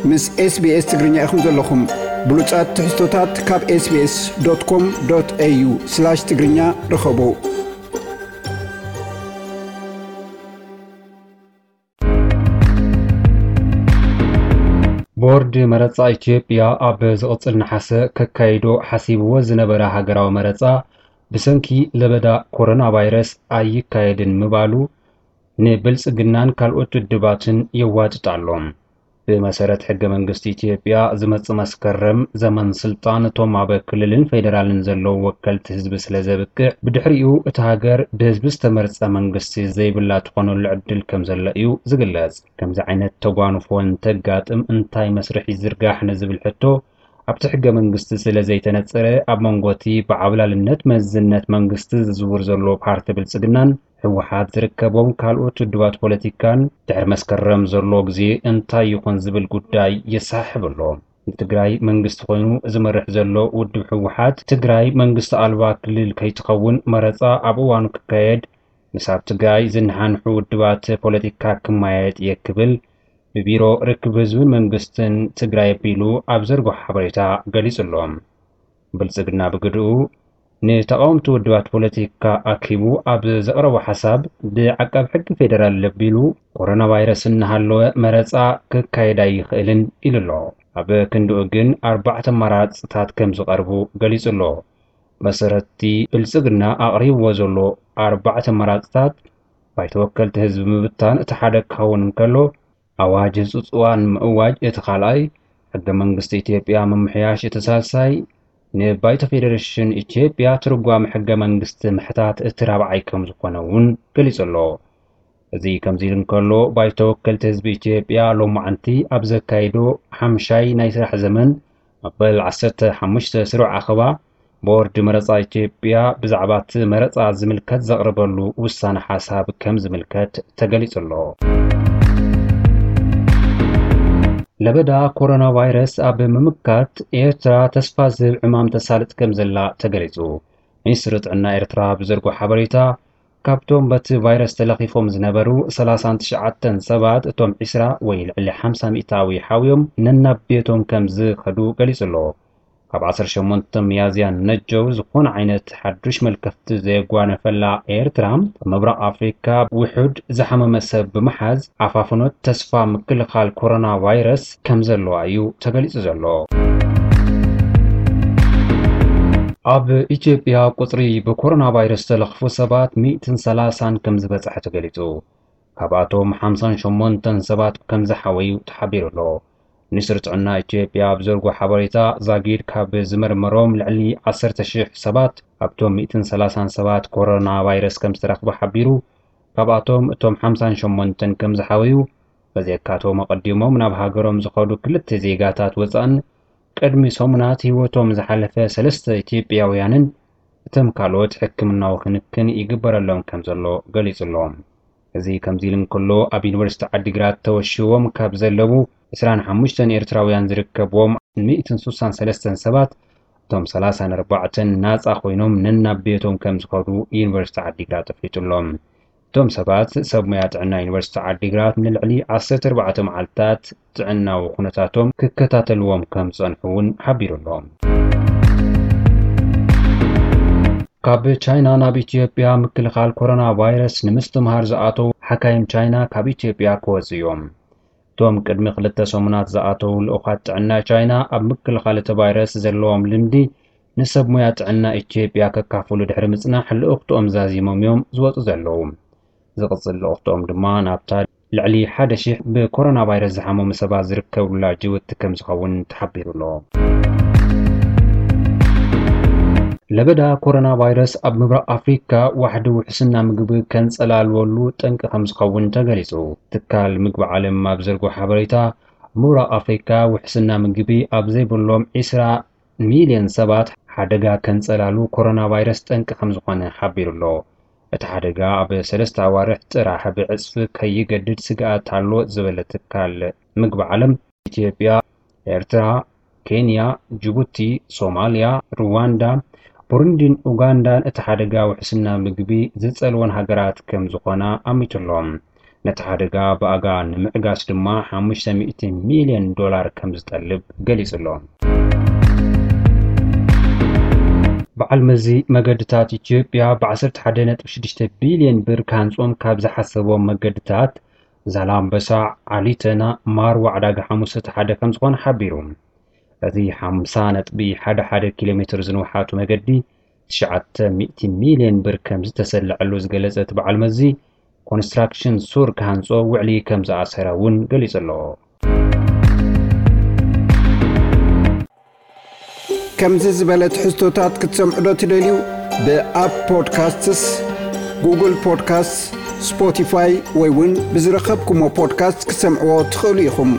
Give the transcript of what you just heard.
ምስ SBS ትግርኛ ኢኹም ዘለኹም። ብሉጻት ትሕዝቶታት ካብ SBS.com.au/ትግርኛ ርኸቡ። ቦርድ መረጻ ኢትዮጵያ ኣብ ዝቕጽል ነሓሰ ከካይዶ ሓሲብዎ ዝነበረ ሃገራዊ መረጻ ብሰንኪ ለበዳ ኮሮና ቫይረስ ኣይካየድን ምባሉ ንብልጽግናን ካልኦት ውድባትን የዋጥጥ ኣሎ። ብመሰረት ሕገ መንግስቲ ኢትዮጵያ፣ ዝመጽእ መስከረም ዘመን ስልጣን እቶም ኣብ ክልልን ፌደራልን ዘለዉ ወከልቲ ህዝቢ ስለ ዘብቅዕ፣ ብድሕሪኡ እታ ሃገር ብህዝቢ ዝተመርጸ መንግስቲ ዘይብላ ትኾነሉ ዕድል ከም ዘሎ እዩ ዝግለጽ። ከምዚ ዓይነት ተጓንፎ እንተጋጥም እንታይ መስርሕ ይዝርጋሕ ንዝብል ሕቶ፣ ኣብቲ ሕገ መንግስቲ ስለ ዘይተነጸረ፣ ኣብ መንጎ እቲ ብዓብላልነት መዝነት መንግስቲ ዝዝውር ዘሎ ፓርቲ ብልጽግናን ህወሓት ዝርከቦም ካልኦት ውድባት ፖለቲካን ድሕሪ መስከረም ዘሎ ግዜ እንታይ ይኾን ዝብል ጉዳይ የሳሕብ ኣሎ። ንትግራይ መንግስቲ ኮይኑ ዝመርሕ ዘሎ ውድብ ህወሓት፣ ትግራይ መንግስቲ ኣልባ ክልል ከይትኸውን መረጻ ኣብ እዋኑ ክካየድ፣ ምስ ኣብ ትግራይ ዝነሓንሑ ውድባት ፖለቲካ ክመያየጥ እየ ክብል ብቢሮ ርክብ ህዝብን መንግስትን ትግራይ ኣቢሉ ኣብ ዘርግሖ ሓበሬታ ገሊጹ ኣሎ። ብልጽግና ብግድኡ፣ ንተቓወምቲ ውድባት ፖለቲካ ኣኪቡ ኣብ ዘቕረቦ ሓሳብ፣ ብዓቃብ ሕጊ ፌደራል ለቢሉ፣ ኮሮና ቫይረስ እናሃለወ መረጻ ክካየድ ኣይኽእልን ኢሉ ኣሎ። ኣብ ክንድኡ ግን ኣርባዕተ ኣማራጽታት ከም ዝቐርቡ ገሊጹ ኣሎ። መሰረትቲ ብልጽግና ኣቕሪብዎ ዘሎ ኣርባዕተ ኣማራጽታት፣ ባይቶ ወከልቲ ህዝቢ ምብታን እቲ ሓደ ክኸውን እንከሎ፣ ኣዋጅ ህጹጽ እዋን ምእዋጅ እቲ ካልኣይ፣ ሕገ መንግስቲ ኢትዮጵያ ምምሕያሽ እቲ ሳልሳይ፣ ንባይቶ ፌደሬሽን ኢትዮጵያ ትርጓመ ሕገ መንግስቲ ምሕታት እቲ ራብዓይ ከም ዝኾነ እውን ገሊጹ ኣሎ። እዚ ከምዚ ኢሉ እንከሎ፣ ባይቶ ወከልቲ ህዝቢ ኢትዮጵያ ሎማዕንቲ ኣብ ዘካይዶ ሓምሻይ ናይ ስራሕ ዘመን መበል ዓሰርተ ሓሙሽተ ስሩዕ ኣኼባ፣ ቦርድ መረጻ ኢትዮጵያ ብዛዕባ እቲ መረጻ ዝምልከት ዘቕረበሉ ውሳነ ሓሳብ ከም ዝምልከት ተገሊጹ ኣሎ። ለበዳ ኮሮና ቫይረስ ኣብ ምምካት ኤርትራ ተስፋ ዝህብ ዕማም ተሳልጥ ከም ዘላ ተገሊጹ። ሚኒስትሪ ጥዕና ኤርትራ ብዘርጎ ሓበሬታ፣ ካብቶም በቲ ቫይረስ ተለኺፎም ዝነበሩ ሰላሳን ትሽዓተን ሰባት፣ እቶም ዒስራ ወይ ልዕሊ ሓምሳ ሚእታዊ ሓውዮም ነናብ ቤቶም ከም ዝኸዱ ገሊጹ ኣሎ። ካብ ዓሰርተ ሸሞንተ ሚያዝያ ነጀው ዝኾነ ዓይነት ሓዱሽ መልከፍቲ ዘየጓነፈላ ኤርትራ፣ ኣብ ምብራቕ ኣፍሪካ ውሑድ ዝሓመመ ሰብ ብምሓዝ፣ ዓፋፍኖት ተስፋ ምክልኻል ኮሮና ቫይረስ ከም ዘለዋ እዩ ተገሊጹ ዘሎ። ኣብ ኢትዮጵያ ቁጽሪ ብኮሮና ቫይረስ ዝተለኽፉ ሰባት ሚእትን ሰላሳን ከም ዝበጽሐ ተገሊጹ። ካብኣቶም ሓምሳን ሸሞንተን ሰባት ከም ዝሓወዩ ተሓቢሩ ኣሎ። ሚኒስትሪ ጥዕና ኢትዮጵያ ኣብ ዘርጎ ሓበሬታ፣ ዛጊድ ካብ ዝመርመሮም ልዕሊ ዓሰርተ ሽሕ ሰባት፣ ኣብቶም ሚእትን ሰላሳን ሰባት ኮሮና ቫይረስ ከም ዝተረኽበ ሓቢሩ። ካብኣቶም እቶም ሓምሳን ሸሞንተን ከም ዝሓወዩ፣ በዚኣካቶም ኣቐዲሞም ናብ ሃገሮም ዝኸዱ ክልተ ዜጋታት ወጻእን ቅድሚ ሰሙናት ህይወቶም ዝሓለፈ ሰለስተ ኢትዮጵያውያንን እቶም ካልኦት ሕክምናዊ ክንክን ይግበረሎም ከም ዘሎ ገሊጹ ኣሎ። እዚ ከምዚ ኢሉ እንከሎ፣ ኣብ ዩኒቨርሲቲ ዓዲግራት ተወሺቦም ካብ ዘለዉ ዕስራን ሓሙሽተን ኤርትራውያን ዝርከብዎም ሚእትን ስሳን ሰለስተን ሰባት፣ እቶም ሰላሳን ኣርባዕተን ናጻ ኮይኖም ነናብ ቤቶም ከም ዝኸዱ ዩኒቨርሲቲ ዓዲግራት ኣፍሊጡ ኣሎ። እቶም ሰባት ሰብ ሞያ ጥዕና ዩኒቨርሲቲ ዓዲግራት ንልዕሊ ዓሰርተ ኣርባዕተ መዓልታት ጥዕናዊ ኩነታቶም ክከታተልዎም ከም ዝጸንሑ እውን ሓቢሩ ኣሎ። ካብ ቻይና ናብ ኢትዮጵያ ምክልኻል ኮሮና ቫይረስ ንምስትምሃር ዝኣተዉ ሓካይም ቻይና ካብ ኢትዮጵያ ክወጹ እዮም። እቶም ቅድሚ ክልተ ሰሙናት ዝኣተዉ ልኡኻት ጥዕና ቻይና ኣብ ምክልኻል እቲ ቫይረስ ዘለዎም ልምዲ ንሰብ ሞያ ጥዕና ኢትዮጵያ ከካፍሉ ድሕሪ ምጽናሕ ልኡኽትኦም ዛዚሞም እዮም ዝወጹ ዘለዉ። ዝቕጽል ልኡኽትኦም ድማ ናብታ ልዕሊ ሓደ ሺሕ ብኮሮና ቫይረስ ዝሓመሙ ሰባት ዝርከብላ ጅቡቲ ከም ዝኸውን ተሓቢሩ ኣሎ። ለበዳ ኮሮና ቫይረስ ኣብ ምብራቕ ኣፍሪካ ዋሕዲ ውሕስና ምግቢ ከንጸላልወሉ ጠንቂ ከም ዝኸውን ተገሊጹ። ትካል ምግቢ ዓለም ኣብ ዘርጎ ሓበሬታ፣ ኣብ ምብራቕ ኣፍሪካ ውሕስና ምግቢ ኣብ ዘይብሎም ዒስራ ሚልዮን ሰባት ሓደጋ ከንጸላሉ ኮሮና ቫይረስ ጠንቂ ከም ዝኾነ ሓቢሩ ኣሎ። እቲ ሓደጋ ኣብ ሰለስተ ኣዋርሕ ጥራሕ ብዕጽፊ ከይገድድ ስግኣት ኣሎ ዝበለ ትካል ምግቢ ዓለም፣ ኢትዮጵያ፣ ኤርትራ፣ ኬንያ፣ ጅቡቲ፣ ሶማልያ፣ ሩዋንዳ፣ ቡሩንዲን ኡጋንዳን እቲ ሓደጋ ውሕስና ምግቢ ዝጸልወን ሃገራት ከም ዝኾና ኣሚቱ ኣሎ። ነቲ ሓደጋ ብኣጋ ንምዕጋስ ድማ ሓሙሽተ ሚእቲ ሚልዮን ዶላር ከም ዝጠልብ ገሊጹ ኣሎ። በዓል መዚ መገድታት ኢትዮጵያ ብ ዓሰርተ ሓደ ነጥቢ ሽዱሽተ ቢልዮን ብር ክሃንጾም ካብ ዝሓሰቦም መገድታት ዛላምበሳ፣ ዓሊተና፣ ማርዋ ዕዳጋ ሓሙስ እቲ ሓደ ከም ዝኾነ ሓቢሩ። እዚ ሓምሳ ነጥቢ ሓደ ሓደ ኪሎ ሜትር ዝንውሓቱ መገዲ ትሽዓተ ሚእቲ ሚልዮን ብር ከም ዝተሰለዐሉ ዝገለጸ እቲ በዓል መዚ፣ ኮንስትራክሽን ሱር ክሃንጾ ውዕሊ ከም ዝኣሰረ እውን ገሊጹ ኣሎ። ከምዚ ዝበለ ትሕዝቶታት ክትሰምዑ ዶ ትደልዩ? ብኣፕ ፖድካስትስ፣ ጉግል ፖድካስትስ፣ ስፖቲፋይ ወይ እውን ብዝረኸብኩሞ ፖድካስት ክትሰምዕዎ ትኽእሉ ኢኹም።